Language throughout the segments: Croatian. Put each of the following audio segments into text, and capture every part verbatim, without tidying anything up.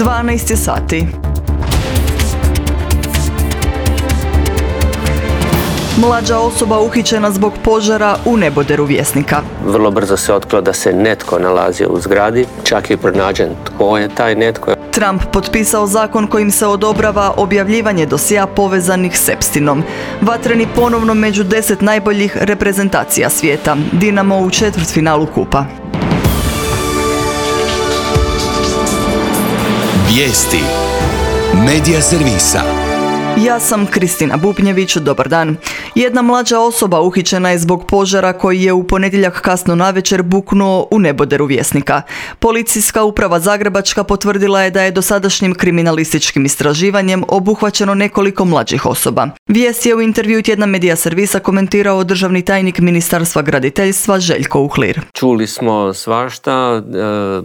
dvanaest je sati. Mlađa osoba uhićena zbog požara u neboderu Vjesnika. Vrlo brzo se otkrilo da se netko nalazio u zgradi, čak je pronađen tko je taj netko. Trump potpisao zakon kojim se odobrava objavljivanje dosjea povezanih s Epsteinom. Vatreni ponovno među deset najboljih reprezentacija svijeta. Dinamo u četvrtfinalu kupa. Vijesti Medija servisa. Ja sam Kristina Bubnjević, dobar dan. Jedna mlađa osoba uhićena je zbog požara koji je u ponedjeljak kasno navečer buknuo u neboderu Vjesnika. Policijska uprava Zagrebačka potvrdila je da je dosadašnjim kriminalističkim istraživanjem obuhvaćeno nekoliko mlađih osoba. Vijest je u intervju tjedna Medija servisa komentirao državni tajnik Ministarstva graditeljstva Željko Uhlir. Čuli smo svašta, e,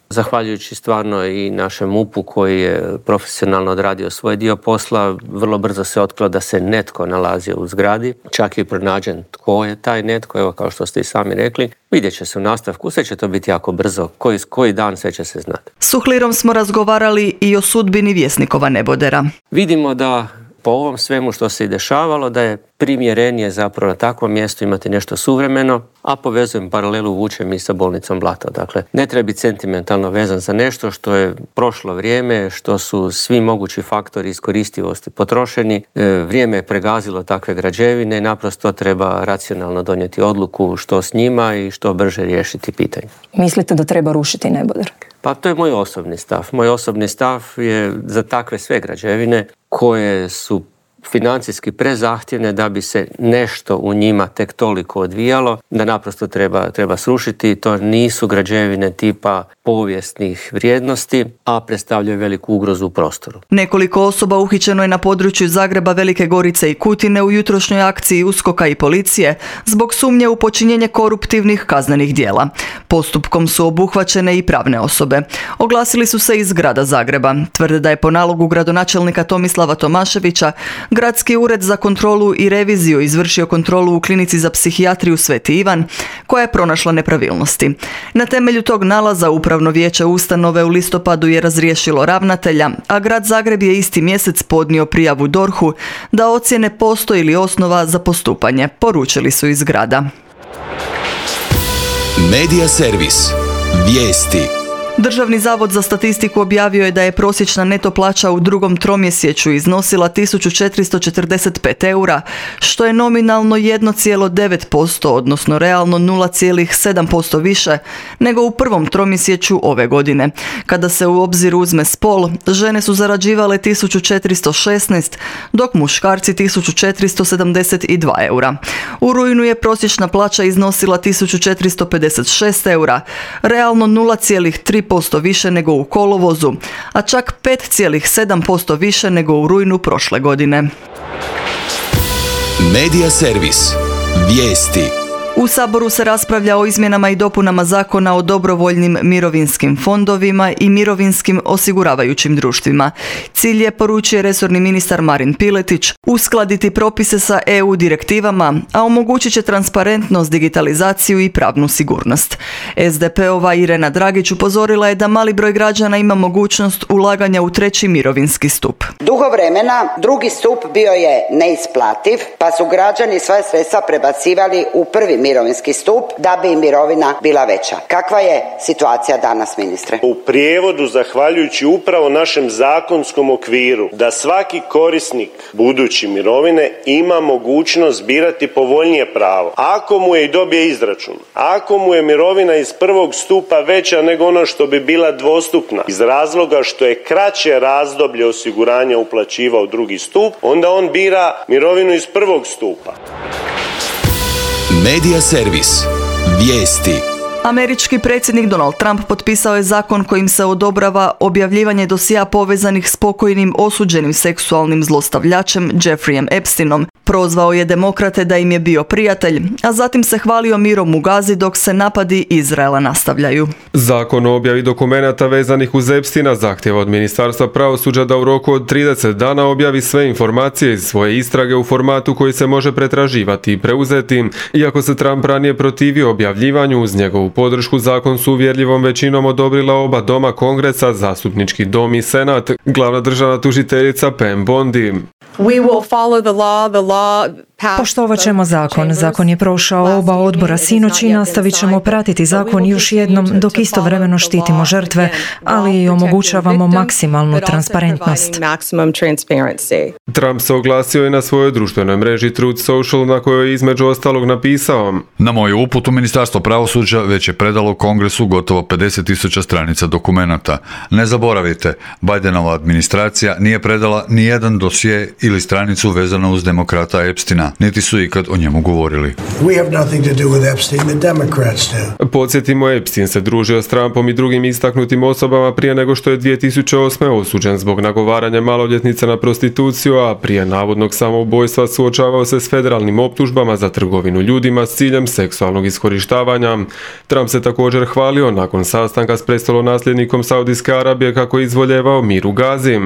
zahvaljujući stvarno i našem M U P-u koji je profesionalno odradio svoj dio posla. Vrlo brzo se otkrilo da se netko nalazio u zgradi, čak je pronađen tko je taj netko, evo kao što ste i sami rekli. Vidjet će se u nastavku, sve će to biti jako brzo, koji, koji dan sve će se znati. S Uhlirom smo razgovarali i o sudbini Vjesnikova nebodera. Vidimo da po ovom svemu što se i dešavalo, da je primjerenije zapravo na takvom mjestu imati nešto suvremeno, a povezujem paralelu vučem i sa bolnicom Blato. Dakle, ne treba biti sentimentalno vezan za nešto što je prošlo vrijeme, što su svi mogući faktori iskoristivosti potrošeni. E, vrijeme je pregazilo takve građevine i naprosto treba racionalno donijeti odluku što s njima i što brže riješiti pitanje. Mislite da treba rušiti neboder? Pa to je moj osobni stav. Moj osobni stav je za takve sve građevine koje su financijski prezahtjevne da bi se nešto u njima tek toliko odvijalo, da naprosto treba, treba srušiti. To nisu građevine tipa povijesnih vrijednosti, a predstavljaju veliku ugrozu u prostoru. Nekoliko osoba uhićeno je na području Zagreba, Velike Gorice i Kutine u jutrošnjoj akciji USKOK-a i policije zbog sumnje u počinjenje koruptivnih kaznenih djela. Postupkom su obuhvaćene i pravne osobe. Oglasili su se iz grada Zagreba. Tvrde da je po nalogu gradonačelnika Tomislava Tomaševića Gradski ured za kontrolu i reviziju izvršio kontrolu u klinici za psihijatriju Sveti Ivan, koja je pronašla nepravilnosti. Na temelju tog nalaza Upravno vijeće ustanove u listopadu je razriješilo ravnatelja, a grad Zagreb je isti mjesec podnio prijavu D O R H-u da ocjene postoji li osnova za postupanje, poručili su iz grada. Medija servis. Vijesti. Državni zavod za statistiku objavio je da je prosječna neto plaća u drugom tromjesečju iznosila tisuću četiristo četrdeset pet eura, što je nominalno jedan zarez devet posto, odnosno realno nula zarez sedam posto više nego u prvom tromjesečju ove godine. Kada se u obzir uzme spol, žene su zarađivale tisuću četiristo šesnaest, dok muškarci tisuću četiristo sedamdeset dva eura. U rujnu je prosječna plaća iznosila tisuću četiristo pedeset šest eura, realno nula zarez tri posto više nego u kolovozu, a čak pet zarez sedam posto više nego u rujnu prošle godine. Medija servis. Vijesti. U Saboru se raspravlja o izmjenama i dopunama Zakona o dobrovoljnim mirovinskim fondovima i mirovinskim osiguravajućim društvima. Cilj je, poručuje resorni ministar Marin Piletić, uskladiti propise sa E U direktivama, a omogućit će transparentnost, digitalizaciju i pravnu sigurnost. S D P-ova Irena Dragić upozorila je da mali broj građana ima mogućnost ulaganja u treći mirovinski stup. Dugo vremena drugi stup bio je neisplativ, pa su građani svoje sredstva prebacivali u prvi mirovinski stup da bi im mirovina bila veća. Kakva je situacija danas, ministre? U prijevodu, zahvaljujući upravo našem zakonskom okviru, da svaki korisnik budući mirovine ima mogućnost birati povoljnije pravo. Ako mu je i dobije izračun, ako mu je mirovina iz prvog stupa veća nego ono što bi bila dvostupna, iz razloga što je kraće razdoblje osiguranja uplaćivao drugi stup, onda on bira mirovinu iz prvog stupa. Medija servis. Vijesti. Američki predsjednik Donald Trump potpisao je zakon kojim se odobrava objavljivanje dosjea povezanih s pokojnim osuđenim seksualnim zlostavljačem Jeffreyem Epsteinom. Prozvao je demokrate da im je bio prijatelj, a zatim se hvalio mirom u Gazi dok se napadi Izraela nastavljaju. Zakon o objavi dokumenata vezanih uz Epsteina zahtjeva od Ministarstva pravosuđa da u roku od trideset dana objavi sve informacije iz svoje istrage u formatu koji se može pretraživati i preuzeti. Iako se Trump ranije protivio objavljivanju uz njegovu podršku zakon su uvjerljivom većinom odobrila oba doma Kongresa, Zastupnički dom i Senat, glavna državna tužiteljica Pam Bondi. We will follow the law, the law Poštovat ćemo zakon. Zakon je prošao oba odbora sinoć i nastavit ćemo pratiti zakon još jednom dok istovremeno štitimo žrtve, ali i omogućavamo maksimalnu transparentnost. Trump se oglasio i na svojoj društvenoj mreži Truth Social, na kojoj je između ostalog napisao: Na moju uputu Ministarstvo pravosuđa već je predalo Kongresu gotovo pedeset tisuća stranica dokumenata. Ne zaboravite, Bidenova administracija nije predala ni jedan dosje ili stranicu vezano uz demokrata Epsteina, niti su ikad o njemu govorili. Podsjetimo, Epstein se družio s Trumpom i drugim istaknutim osobama prije nego što je dvije tisuće osme. osuđen zbog nagovaranja maloljetnica na prostituciju, a prije navodnog samoubojstva suočavao se s federalnim optužbama za trgovinu ljudima s ciljem seksualnog iskorištavanja. Trump se također hvalio nakon sastanka s prestolonasljednikom Saudijske Arabije kako je izvoljevao mir u Gazi.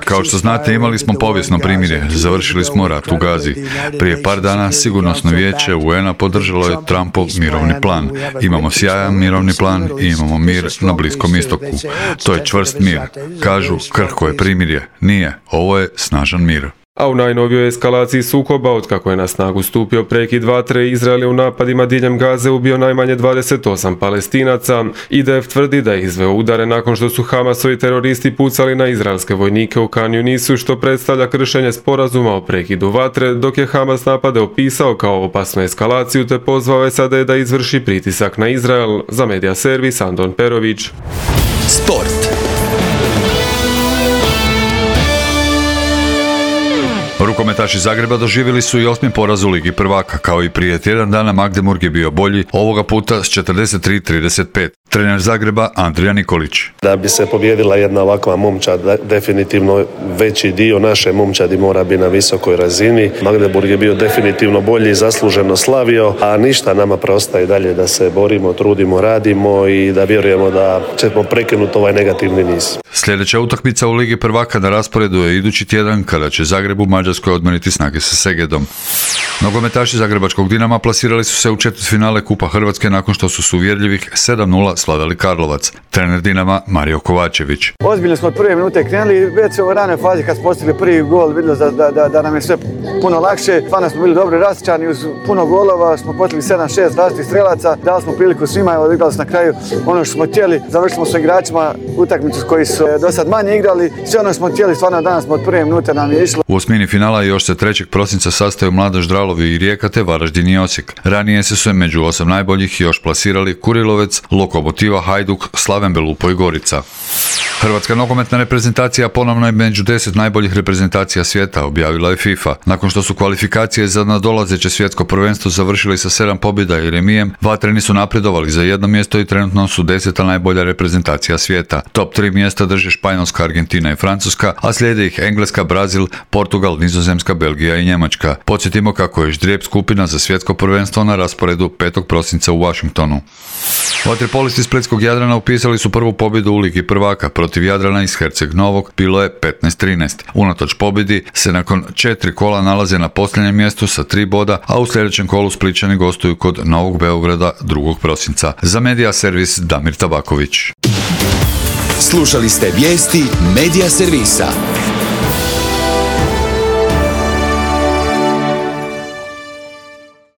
Kao što znate, imali smo povijesno primirje, završili smo rat u Gazi. Prije par dana Sigurnosno vijeće U N-a podržalo je Trumpov mirovni plan. Imamo sjajan mirovni plan i imamo mir na Bliskom istoku. To je čvrst mir. Kažu, krhko je primirje. Nije, ovo je snažan mir. A u najnovijoj eskalaciji sukoba, otkako je na snagu stupio prekid vatre, Izrael je u napadima diljem Gaze ubio najmanje dvadeset osam Palestinaca. I D F tvrdi da je izveo udare nakon što su Hamasovi teroristi pucali na izraelske vojnike u Kan Yunisu, što predstavlja kršenje sporazuma o prekidu vatre, dok je Hamas napade opisao kao opasnu eskalaciju te pozvao S A D da izvrši pritisak na Izrael. Za Medija servis Andon Perović. Sport. Rukometaši Zagreba doživjeli su i osmi poraz u Ligi prvaka. Kao i prije tjedan dana, Magdeburg je bio bolji, ovoga puta s četrdeset tri trideset pet. Trener Zagreba Andrija Nikolić. Da bi se pobijedila jedna ovakva momčad, definitivno veći dio naše momčadi mora biti na visokoj razini. Magdeburg je bio definitivno bolji, zasluženo slavio, a ništa nama preostaje dalje da se borimo, trudimo, radimo i da vjerujemo da ćemo prekinuti ovaj negativni niz. Sljedeća utakmica u Ligi prvaka na rasporedu je idući tjedan kada će Zagreb u Mađarskoj odmoriti snage sa Segedom. Nogometaši Zagrebačkog Dinama plasirali su se u četvrtfinale Kupa Hrvatske nakon što su s uvjerljivih sedam nula slavili Karlovac. Trener Dinama Mario Kovačević. Ozbiljno smo od prve minute krenuli, već u ranoj fazi kad smo postigli prvi gol vidjeli da, da, da, da nam je sve puno lakše. Stvarno smo bili dobro rasčani, uz puno golova smo postigli sedam šest različitih strelaca, dali smo priliku svima i odigrali smo na kraju ono što smo htjeli. Završili smo sa igračima utakmicu koji su do sad manje igrali, sve ono što smo htjeli, stvarno danas smo od prve minute nam je išlo. U osmini finala još se trećeg prosinca sastaju Mladost Dralovi i Rijeka te Varaždin i Osijek. Ranije se su među osam najboljih još plasirali Kurilovec, Lokomotiva, Hajduk, Slaven Belupo i Gorica. Hrvatska nogometna reprezentacija ponovno je među deset najboljih reprezentacija svijeta, objavila je FIFA. Nakon što su kvalifikacije za nadolazeće svjetsko prvenstvo završili sa sedam pobjeda i remijem, vatreni su napredovali za jedno mjesto i trenutno su deseta najbolja reprezentacija svijeta. Top tri mjesta drže Španjolska, Argentina i Francuska, a slijede ih Engleska, Brazil, Portugal, Nizozemska, Belgija i Njemačka. Podsjetimo kako je ždrijeb skupina za svjetsko prvenstvo na rasporedu petog prosinca u Washingtonu. Vaterpolisti Splitskog Jadrana upisali su prvu pobjedu u Ligi prvaka. Protiv Jadrana iz Herceg Novog bilo je petnaest trinaest. Unatoč pobjedi se nakon četiri kola nalaze na posljednjem mjestu sa tri boda, a u sljedećem kolu Splićani gostuju kod Novog Beograda drugog prosinca. Za Medija servis Damir Tabaković. Slušali ste vijesti Medija servisa.